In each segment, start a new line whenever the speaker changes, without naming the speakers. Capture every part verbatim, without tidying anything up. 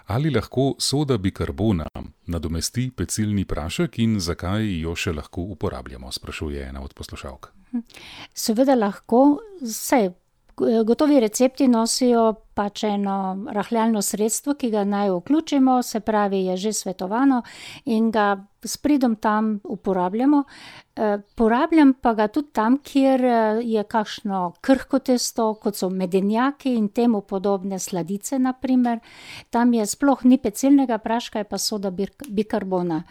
Ali lahko soda bikarbona nadomesti pecilni prašek in zakaj jo še lahko uporabljamo, sprašuje ena od poslušalk.
Seveda lahko, saj gotovi recepti nosijo pač eno rahljalno sredstvo, ki ga naj vključimo, se pravi, je že svetovano in ga s pridom tam uporabljamo. Porabljam pa ga tudi tam, kjer je kakšno krhko testo, kot so medenjaki in temu podobne sladice, na primer. Tam je sploh ni pecilnega praška, je pa soda bikarbona.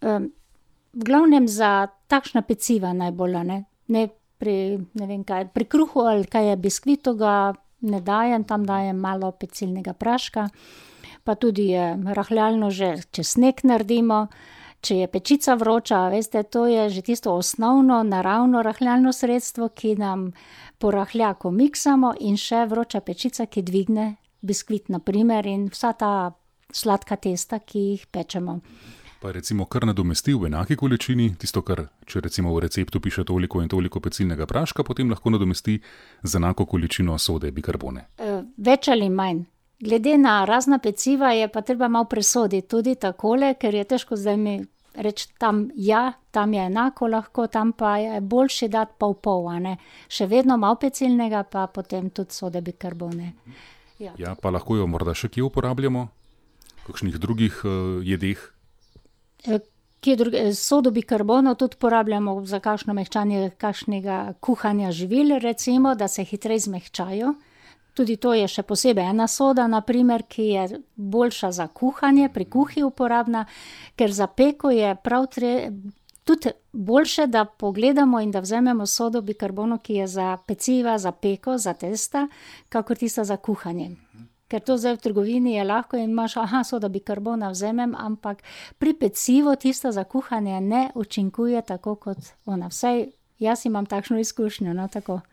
V glavnem za takšna peciva najbolj, a ne, ne pri, ne vem kaj, pri kruhu ali kaj je biskvitu ga ne dajem, tam dajem malo pecilnega praška, pa tudi je rahljalno že, če sneg naredimo, če je pečica vroča, a veste, to je že tisto osnovno, naravno rahljalno sredstvo, ki nam porahlja, ko miksamo, in še vroča pečica, ki dvigne biskvit, na primer, in vsa ta sladka testa, ki jih pečemo.
Pa recimo kar nadomesti v enaki količini, tisto, kar, če recimo v receptu piše toliko in toliko pecilnega praška, potem lahko nadomesti z enako količino sode bikarbone.
Več ali manj. Glede na razna peciva je pa treba malo presoditi tudi takole, ker je težko zdaj mi reči tam ja, tam je enako lahko, tam pa je boljše dati pol pol, a ne. Še vedno malo pecilnega, pa potem tudi sode bikarbone. Ja.
Ja, pa lahko jo morda še kje uporabljamo? V kakšnih drugih uh, jedeh?
Kje druge, sodo bikarbono tudi porabljamo za kakšno mehčanje kakšnega kuhanja živil, recimo, da se hitreje zmehčajo. Tudi to je še posebej ena soda, na primer, ki je boljša za kuhanje, pri kuhi uporabna, ker za peko je prav tudi boljše, da pogledamo in da vzamemo sodo bikarbono, ki je za peciva, za peko, za testa, kakor tista za kuhanje. Ker to zdaj v trgovini je lahko in imaš, aha, soda bikarbona vzamem, ampak pri pecivu tista za kuhanje ne učinkuje tako kot ona. Vsaj jaz imam takšno izkušnjo, no, tako.